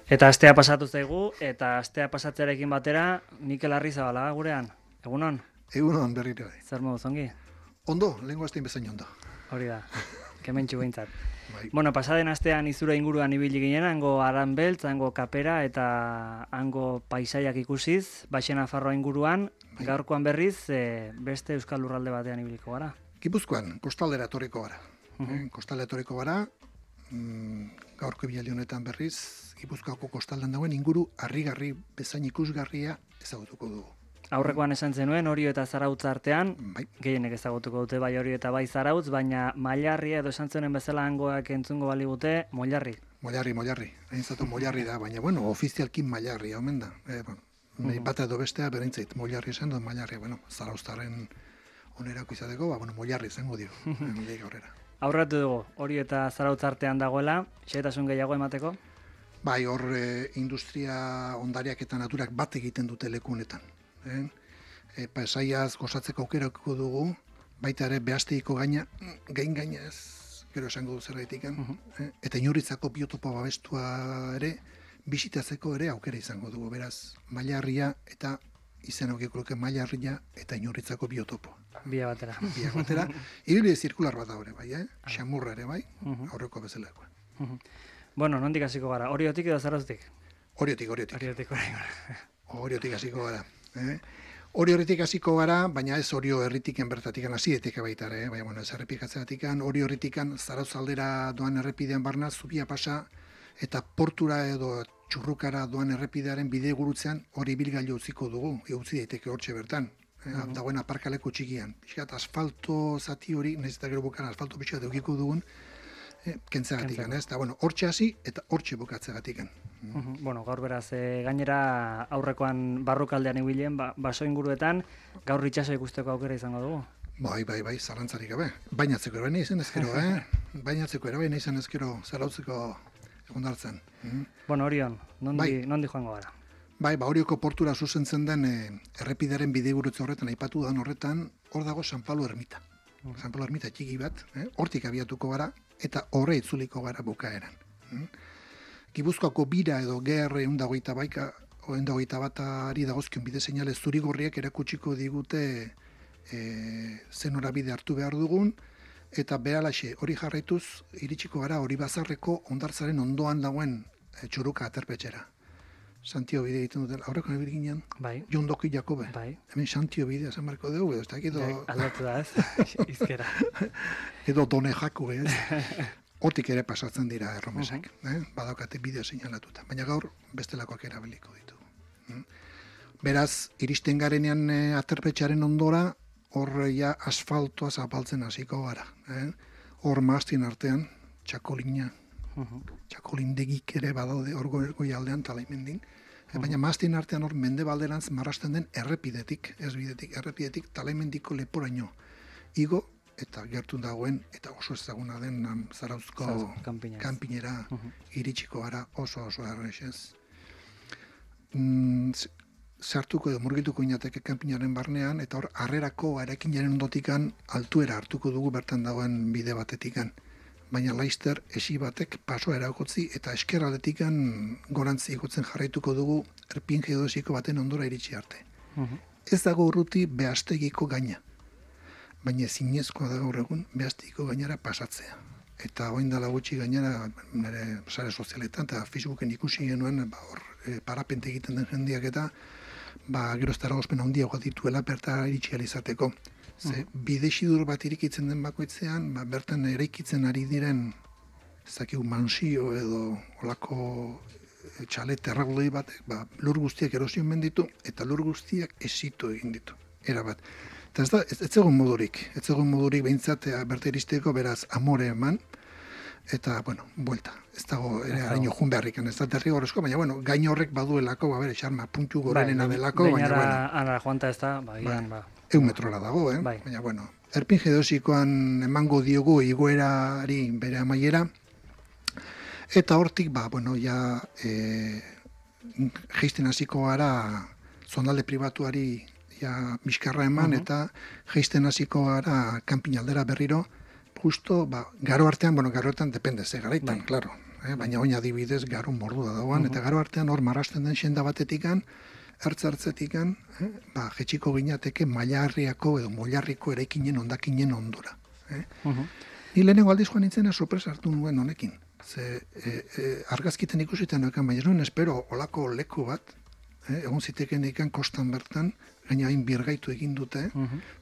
Eta astea pasatu zaigu, eta astea pasatzearekin batera, Mikel Arrizabalaga gurean. Egunon? Egunon berriro. Zer moduz ongi? Ondo, lehenko astein bezain ondo. Hori da, kementxu behintzat. Bai. Bueno, pasaden astean izura inguruan ibili ginen, hango Aranbeltz, hango Kapera eta hango paisaiak ikusiz, Baxe Nafarroa inguruan, Bai. gaurkoan berriz, beste euskal lurralde batean ibiliko gara. Gipuzkoan, kostaldera etorriko gara. Kostaldera etorriko gara, gaurko ibilaldi honetan berriz, Gipuzkoako kostaldan dagoen inguru harrigarri bezain ikusgarria ezagutuko dugu. Aurrekoan esan zenuen, Orio eta Zarautz artean, Bai. gehienek ezagutuko dute bai Orio eta bai Zarautz, baina Mailarria edo esan zenen bezala hangoak entzungo baligute, Moilarri. Moilarri. Hainzatu Moilarri da, baina bueno, ofizialki Mailarri, omen da. Nahi bata edo bestea berintzait, Moilarri esan dut Mailarri, Zarauztarren onerako izateko, Moilarri izango dio, handik aurrera. Aurratu dugu, Orio eta Zarautz artean dagoela, xehetasun gehiago emateko? Bai, hor industria ondariak eta naturak bat egiten dute leku honetan. Pasaiaz gozatzeko aukerako dugu, baita ere behazteiko gaina ez, gero esango du zerraitik, eta inurritzako biotopo babestua ere, bisitatzeko ere aukera izango dugu, beraz, Mailarria eta izen aukikuloke Mailarria eta inurritzako biotopo. Bia batera. Ibili zirkular bat da hori, bai, xamurra ere, bai, aurreko bezalakoa. Bueno, nondik hasiko gara, Oriotik edo Zarauztik? Oriotik. Oriotik Hasiko gara. Oriotik hasiko gara, baina ez Orio herritiken bertatikan hasietik baita ere, baina bueno, ez errepikatzetikan, Orio herritikan Zarautz aldera doan errepidean barna zubia pasa eta portura edo Txurrukara doan errepidearen bide gurutzean hori ibilgailu utziko dugu, utzi daiteke hortxe bertan. Dagoen aparkaleko txikian. Pixkat asfalto zati hori, nahiz eta gero bukan asfalto pixkat edukiko dugun, kentzegatikan, ez? Eta, hortxe hasi eta hortxe bukatzegatikan. Bueno, gaur beraz, gainera aurrekoan barrukaldean ibilen, baso inguruetan, gaur itxaso ikusteko aukera izango dugu. Bai, zarantzarik gabe. Bainatzeko ere izan ezkero, Bainatzeko ere izan ezkero Zarautzeko egondartzen. Bueno, Orion, nondi joango gara? Bai, Orioko portura zuzentzen den errepidearen bidegurutze horretan, aipatu dan horretan, hor dago San Pablo ermita. San Pablo ermita txiki bat, hortik abiatuko gara, eta horre itzuliko gara bukaeran. Gipuzkoako bira edo GR 128 batari dagozkion bide seinale zurigorriak erakutsiko digute zen norabide hartu behar dugun, eta beralaxe hori jarraituz iritsiko gara hori bazarreko hondartzaren ondoan dagoen Txurruka aterpetxera. Santio bide egiten duten, aurreko nabil ginen, Jon Doki Jakobe. Hemen Santio bidea esan marko dugu, edo ez da edo... Aldatu da ez, izkera. Edo Done Jako, ez? Hortik ere pasatzen dira erromesak, badaukate bidea seinalatuta. Baina gaur bestelakoak erabiliko ditu. Beraz, iristen garenean aterpetxaren ondora, hor ja asfaltoa zapaltzen hasiko gara. Hor maaztien artean, txakolindegik ere badaude hor goi aldean talaimendin. Baina maaztien artean hor mendebalderantz marrasten den errepidetik, ez bidetik, errepidetik talaimendiko leporaino. Igo eta gertun dagoen, eta oso ezaguna den Zarauzko kanpinera iritsiko gara oso errexez. Sartuko edo murgituko inateke kanpinaren barnean, eta hor harrerako eraikinaren ondotikan altuera hartuko dugu bertan dagoen bide batetikan. Baina laister esi batek pasoa erakotzi eta eskerraletikan gorantzi ikutzen jarraituko dugu erpin geodesiko baten ondora iritsi arte. Ez dago urruti behaztegiko gaina, baina zinezkoa da gaur egun behaztegiko gainara pasatzea. Eta orain dela gutxi gainera nire sare sozialetan eta Facebooken ikusi genuen parapente egiten den jendeak eta gero ez eragozpen handiagoa dituela bertara iritsi izateko. Bidesidur bat irikitzen den bakoitzean, bertan eraikitzen ari diren mansio edo olako txalet erraldoi batek, lur guztiak erosion menditu eta lur guztiak esitu egin ditu. Erabat. Eta ez zegoen modurik behintzat berta iristeko, beraz amore eman, eta, buelta. Ez dago, haino jun beharrik, ez da derrigorrezko, baina, gain horrek baduelako, xarma puntu gorenena delako, baina, anara joanta ez da, metrora dago, baina, erpin geodesikoan emango diogu igoerari bere amaiera, eta hortik, geisten hasiko gara zonalde pribatuari miskarra eman, eta geisten hasiko gara kanpin aldera berriro, justo, garo artean, garo artean depende, ze garaitan, klaro. baina oin adibidez garo mordua dagoan, eta garo artean hor marrasten den senda batetikan, ertzertzetikan, jetxiko ginateke Mailarriako edo Moilarriko eraikinen ondakinen ondora. Ni lehenengo aldiz joan nintzena sorpresa hartu nuen honekin. Ze argazkiten ikusiten noekan, baina nuen espero olako leku bat, egon ziteken ikan kostan bertan, gaina hain birgaitu egin dute,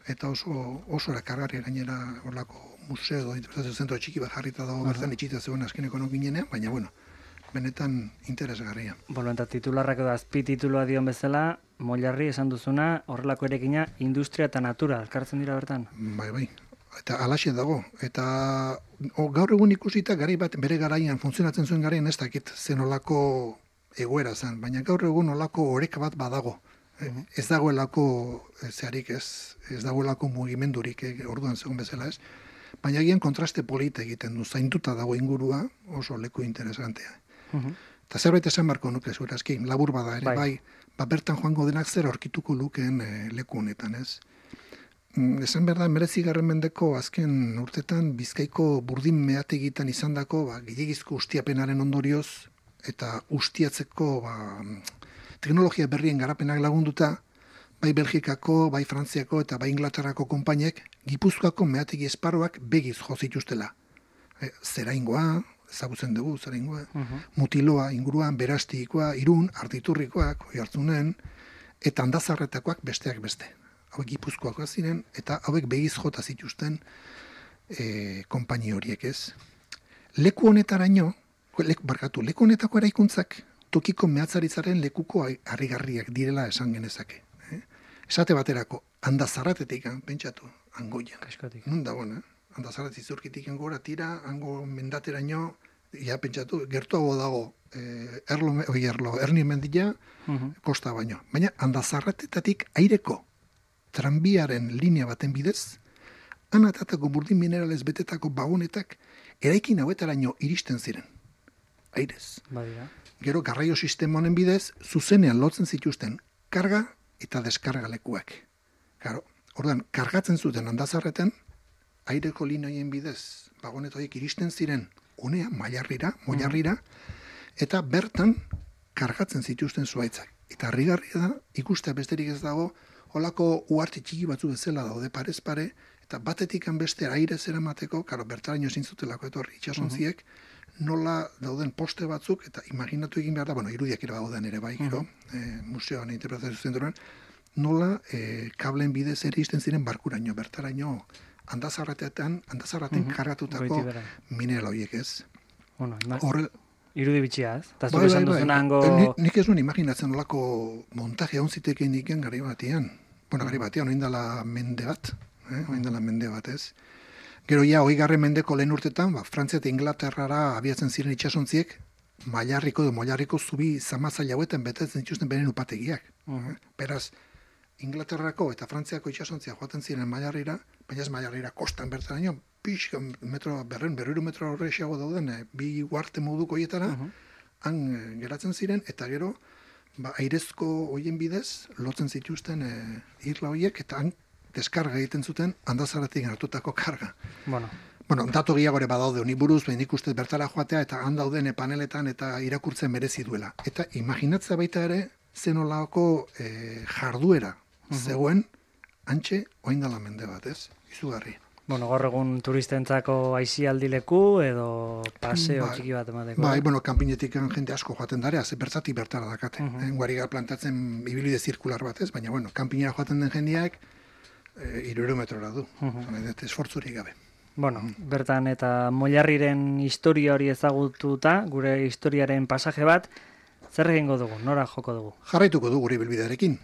eta oso erakargarri gainera olako museo edo interpretazio zentro txiki bat jarrita dago bertan itxita zegoen azkeneko nokinenean, baina bueno, benetan interesgarria. Bueno, eta titularrak edo azpi titulua dion bezala, Moilarri esan duzuna, horrelako erekina industria eta natura, elkartzen dira bertan? Bai. Eta alaxe dago. Eta gaur egun ikusita gari bat bere garaian, funtzionatzen zuen garaian ez dakit zen olako egoera zen, baina gaur egun olako oreka bat badago. Ez dagoelako zeharik ez dagoelako mugimendurik orduan zegoen bezala ez. Baina egian kontraste polita egiten du, zainduta dago ingurua oso leku interesantea. Eta zerbait esan barko nuke zurazki, labur bada ere, bai, bertan joango denak zer aurkituko lukeen leku honetan, ez? Esan behar da, 19. mendeko azken urtetan Bizkaiko burdin meategitan izandako gehiagizko ustiapenaren ondorioz eta ustiatzeko teknologia berrien garapenak lagunduta, bai Belgikako, bai Frantziako eta bai Inglaterrako konpainek Gipuzkoako meategi esparruak begiz jo zituztela. Zeraingoa, ezagutzen dugu zeraingoa, Mutiloa inguruan, Berastikoa, Irun, Artiturrikoak, Oiartzunen, eta Andazarretakoak besteak beste. Hauek Gipuzkoakoak ziren, eta hauek begiz jota zituzten konpaini horiek ez. Leku honetaraino, leku honetako eraikuntzak tokiko mehatzaritzaren lekuko harrigarriak direla esan genezake. Esate baterako, Andazarratetik, pentsatu, Angoia. Nun da bona, Andazarrat izurkitik gora tira, hango mendateraino, pentsatu, gertuago dago Erni mendila, kosta baino. Baina Andazarratetatik aireko tranbiaren linea baten bidez, anatatako burdin mineralez betetako bagonetak eraikin hauetaraino iristen ziren. Airez. Gero garraio sistema honen bidez, zuzenean lotzen zituzten karga eta deskarga lekuak. Orduan, kargatzen zuten Andazarreten, aireko lineoien bidez, bagonet horiek iristen ziren unea, Moilarrira, eta bertan kargatzen zituzten zuaitzak. Eta harrigarria da, ikustea besterik ez dago, holako uarte txiki batzu bezala daude parez pare, eta batetik beste aire zeramateko, bertaraino ezin zutelako etorri itxasontziek, nola dauden poste batzuk, eta imaginatu egin behar da, irudiak ere dauden ere bai, museoan interpretazio zentroan, nola kablen bidez ere izten ziren barkuraino, bertaraino Andazarraten kargatutako mineral horiek ez. Irudi bitxia, ez? Eta zure esan duzun hango... Nik ez nuen imaginatzen olako montaje hon ziteken iken gari batean. Gari batean, oindala mende bat, ez? Gero ja, 20. mendeko lehen urtetan, Frantzia eta Inglaterrara abiatzen ziren itxasontziek, Moilarriko zubi zamazaila hauetan betetzen dituzten beren upategiak. Beraz, Inglaterrako eta Frantziako itxasontzia joaten ziren Moilarrira, baina ez Moilarrira kostan bertaraino, pixka berriro metro horrexiago dauden, bi uarte moduko hietara, han geratzen ziren, eta gero, airezko hoien bidez, lotzen zituzten irla horiek, eta han deskarga egiten zuten Andazarratik hartutako karga. Datu gehiagore badaude honi buruz, nik ustez bertara joatea, eta han dauden paneletan eta irakurtzen merezi duela. Eta imaginatzea baita ere, zenolako jarduera zegoen, antxe, oindala mende bat, ez? Izugarri. Gaur egun turistentzako aisialdi leku edo paseo txiki bat emateko. Kanpinetik jende asko joaten dara, bertzatik bertara dakate. Guariga plantatzen ibilbide zirkular bat ez, baina kanpinera joaten den jendeak 300 metrora du. Esfortzurik gabe. Bertan eta Moilarriren historia hori ezagututa, gure historiaren pasaje bat, zer egingo dugu, nora joko dugu? Jarraituko dugu gure bilbidearekin.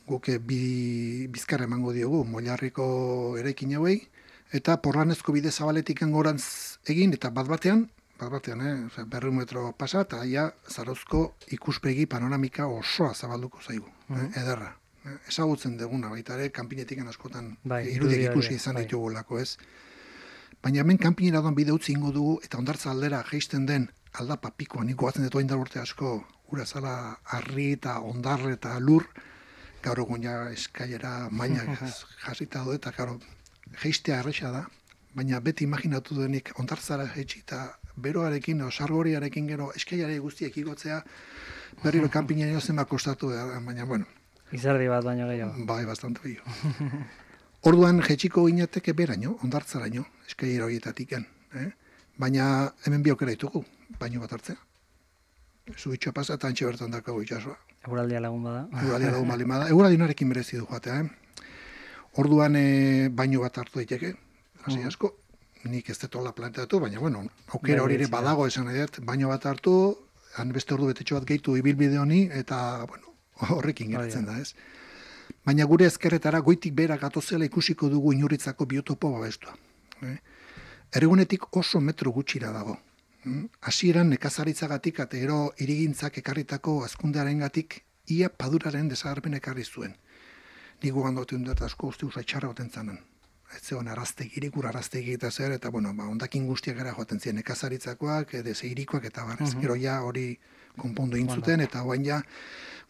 Guk bizkarra emango diogu Moilarriko eraikin hauei, eta porlanezko bide zabaletik gorantz egin, eta bat-batean, 200 metro pasa, eta Zarauzko ikuspegi panoramika osoa zabalduko zaigu. Ederra. Ezagutzen duguna baita ere, kanpinetik askotan irudiak ikusi izan ditugulako, ez? Baina hemen kanpinera doan bide utzi ingo dugu, eta ondartza aldera geisten den aldapa pikoa, niko batzen dut oindar urte asko, ura zala harri eta ondarre eta lur, gaur egun eskailera maila jasita du, eta geistea erresa da, baina beti imaginatu denik ondartzara jaitsi eta beroarekin, sargoriarekin gero, eskaiare guztiek igotzea, berriro kanpinen zenbat kostatu, baina, bueno. Izerdi bat baino gehiago. Bai, bastante gehiago. Orduan, jetxiko ginateke beraino, ondartzaraino, eskaiera horietatik baina hemen bi aukera ditugu, baino bat hartzea. Zubitxoa pasa eta antxe bertan dakago itxasua. Eguraldia lagun bada. Eguraldia lagun bali bada. Eguraldionarekin berezi du joatea, Orduan baino bat hartu daiteke, hasi asko, nik ez detola planteatu, baina, bueno, aukera hori ere badago esan nahi dut, baino bat hartu, han beste ordu betetxo bat gehitu ibilbide honi, eta, bueno, horrekin geratzen da, ez? Baina gure ezkerretara goitik bera gatozela ikusiko dugu Inurritzako biotopo babestua. Ergunetik oso metro gutxira dago. Hasieran nekazaritzagatik eta gero hirigintzak ekarritako hazkundearengatik ia paduraren desagerpen ekarri zuen. Nik gugandoten dut asko uste usai txarra goten zanen. Ez zegoen araztegirik, ur araztegi eta zer, eta bueno, ondakin guztiak gara joaten ziren nekazaritzakoak, deseirikoak eta barrez. Gero ja hori konpondu intzuten, eta hoain ja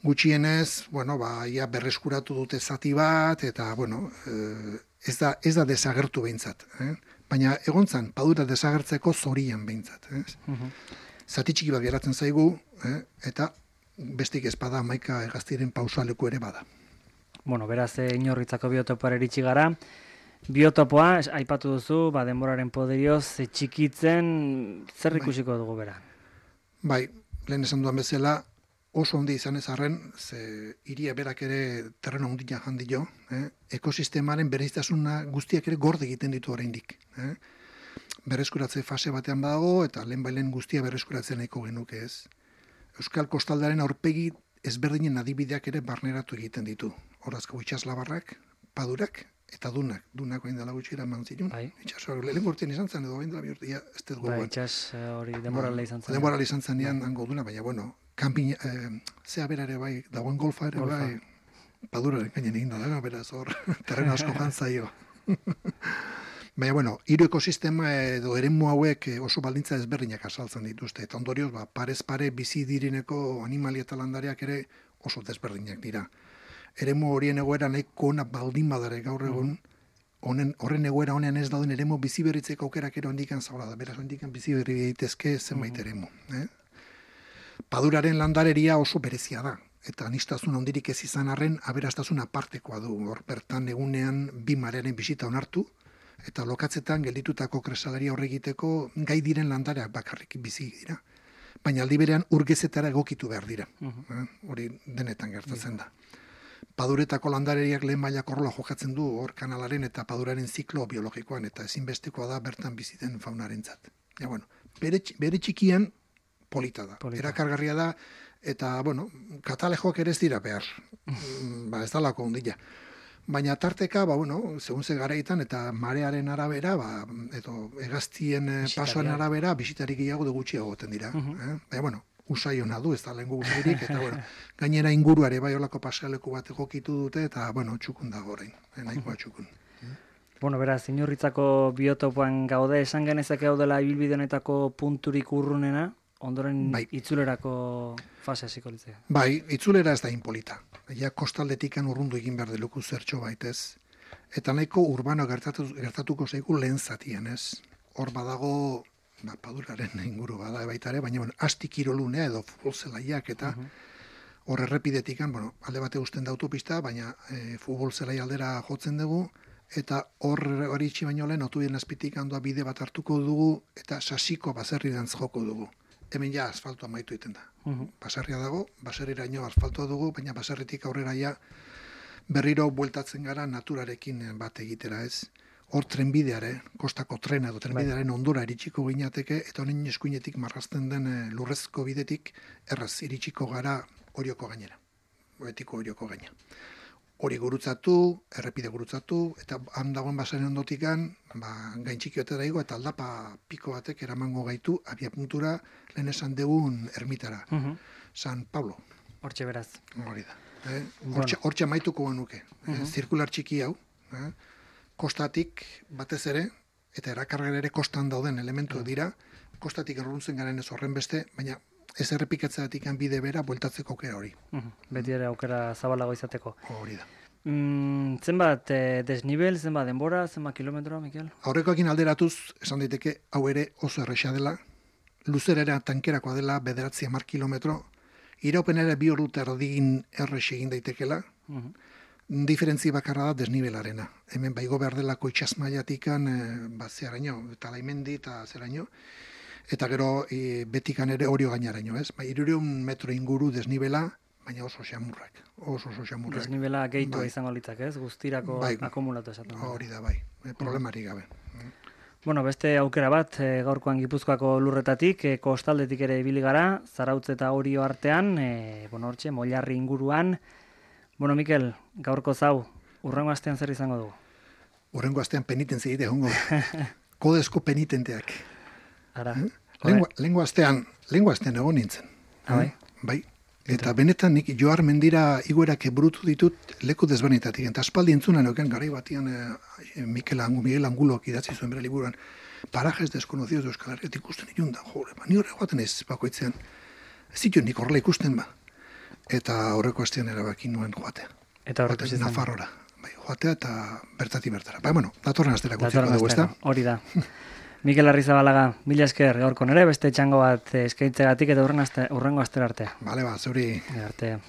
gutxienez, bueno, ia berreskuratu dute zati bat, eta bueno, ez da desagertu behintzat. Baina egontzan, padura desagertzeko zorian behintzat. Zati txiki bat geratzen zaigu, eta bestik ezpada amaika egaztiren pausaleku ere bada. Bueno, beraz, Inurritzako biotopoa eritsi gara. Biotopoa, aipatu duzu, denboraren poderioz, txikitzen, zer ikusiko dugu bera? Bai, lehen esan duan bezala, oso handi izan ez arren, ze hiria berak ere terreno handia jandio, ekosistemaren bereiztasuna guztiak ere gorde egiten ditu oraindik. Berreskuratze fase batean badago, eta lehen guztia berreskuratzen nahiko genuke ez. Euskal kostaldaren aurpegi ezberdinen adibideak ere barneratu egiten ditu. Horazko itxaslabarrak, padurak, eta dunak hain dela gutxi eraman zituen. Itxasoak lehen urtean izan zen, edo hain dela bihurtia, ez dut gogoan. Itxas hori denborale izan zen. Denborale izan zen nian hango duna, baina, bueno, kanpin, zea bera ere bai, dagoen golfa ere bai, paduraren gainen egin da, beraz hor, terreno asko jantzaio. Baina, bueno, hiru ekosistema edo eremu hauek oso baldintza ezberdinak asaltzen dituzte, eta ondorioz, parez pare bizi direneko animalia eta landareak ere oso desberdinak dira. Eremu horien egoera nahiko ona baldin badare gaur egun, horren egoera honean ez dauden eremu bizi berritzeko aukerak ere ondikan zagola da, beraz ondikan bizi berri daitezke zenbait eremu. Paduraren landareria oso berezia da, eta aniztasun handirik ez izan arren, aberastasun apartekoa du, hor bertan egunean bi marearen bisita onartu, eta lokatzetan gelditutako kresalaria horregiteko gai diren landareak bakarrik bizi dira. Baina aldi berean urgezetara egokitu behar dira. Hori denetan gertatzen da. Paduretako landareriak lehen mailako rola jokatzen du hor kanalaren eta paduraren ziklo biologikoan, eta ezinbestekoa da bertan bizi den faunarentzat. Ja, bueno, bere txikian polita da. Erakargarria da, eta, bueno, katalejoak ere ez dira behar. Ez dalako ondila. Baina tarteka, bueno, segun ze garaitan eta marearen arabera, edo hegaztien pasoaren arabera, bisitarik gehiago de gutxiago goten dira. Baina, bueno, usai hona du, ez da lehen guztirik, eta, bueno, gainera inguruare bai olako pasaleku bat egokitu dute, eta, bueno, txukun dago orain, nahikoa txukun. Bueno, beraz, Inurritzako biotopoan gaude, esan genezake gaudela ibilbide honetako punturik urrunena, ondoren itzulerako fase hasiko litzea. Bai, itzulera ez da inpolita. Ja kostaldetikan urrundu egin behar deluku zertxo baitez. Eta nahiko urbano gertatuko zaigu lehen zatian, ez? Hor badago, paduraren inguru bada baitare, baina asti kirolunea edo futbol zelaiak eta hor errepidetikan, alde bate usten da autopista, baina futbol zelai aldera jotzen dugu, eta hori itxi baino lehen, otubien azpitik handoa bide bat hartuko dugu, eta sasiko baserri dantz joko dugu. Hemen ja asfaltoa maitu egiten da. Baserria dago, baserriraino asfaltoa dugu, baina baserritik aurrera ja berriro bueltatzen gara naturarekin bat egitera ez. Hor trenbideare, kostako trena edo trenbidearen ondora iritsiko ginateke, eta honen eskuinetik marrazten den lurrezko bidetik erraz iritsiko gara Orioko gainera. Betiko Orioko gaina. Hori gurutzatu, errepide gurutzatu, eta handagoen basaren ondotikan, gain txikioetara igo, eta aldapa piko batek eramango gaitu, abia puntura, lehen esan degun ermitara. San Pablo. Hortxe beraz. Hori da. Hortxe amaituko genuke. Zirkular txiki hau, kostatik batez ere, eta erakargera ere kostan dauden elementu dira, kostatik erruntzen garen ez horren beste, baina ez errepikatzeatik bide bera, bueltatzeko aukera hori. Beti ere aukera zabalago izateko. Hori da. Zenbat desnibel, zenbat denbora, zenbat kilometro, Mikel? Aurrekoekin alderatuz, esan daiteke, hau ere oso erresa dela, luzerera tankerakoa dela 9-10 kilometro, iraupen ere 2 ordu erdin errex egin daitekela, diferentzi bakarra da desnibelarena. Hemen baigo behar delako itxasmaiatikan, zeraino, eta laimendi eta zeraino, eta gero betikan ere orio gainaraino, ez? 300 metro inguru desnibela, baina oso xamurrak. Desnibela gehitua izango litzak, ez? Guztirako akumulatu esaten. Hori da, bai. Problemari gabe. Bueno, beste aukera bat, gaurkoan Gipuzkoako lurretatik, kostaldetik ere ibili gara, Zarautz eta Orio artean, hortxe, Moilarri inguruan. Bueno, Mikel, gaurko zau, urrengo astean zer izango dugu? Urrengo astean penitentzia egite hongo. Kodezko penitenteak. Ara. Lengo astean egon nintzen. Bai. Eta benetan nik Joar Mendira igoerak burutu ditut leku desbanetatik. Eta aspaldi entzuna neuken garai batian Miguel Anguloak idatzi zuen bere liburuan. Parajes desconocidos de Euskal Herriatik ikusten ikunda. Ni horre joaten ez bakoitzean. Ez ditu nik horrela ikusten ba. Eta horreko astean erabaki nuen joatea. Eta horreko izan. Nafarrora. Joatea eta bertati bertara. Datorren astera gutziko dugu, ezta? Hori da. Mikel Arrizabalaga, mila esker gaurko nere, beste txango bat eskaintzegatik eta urrengo astera artea. Bale, zuri. Artea.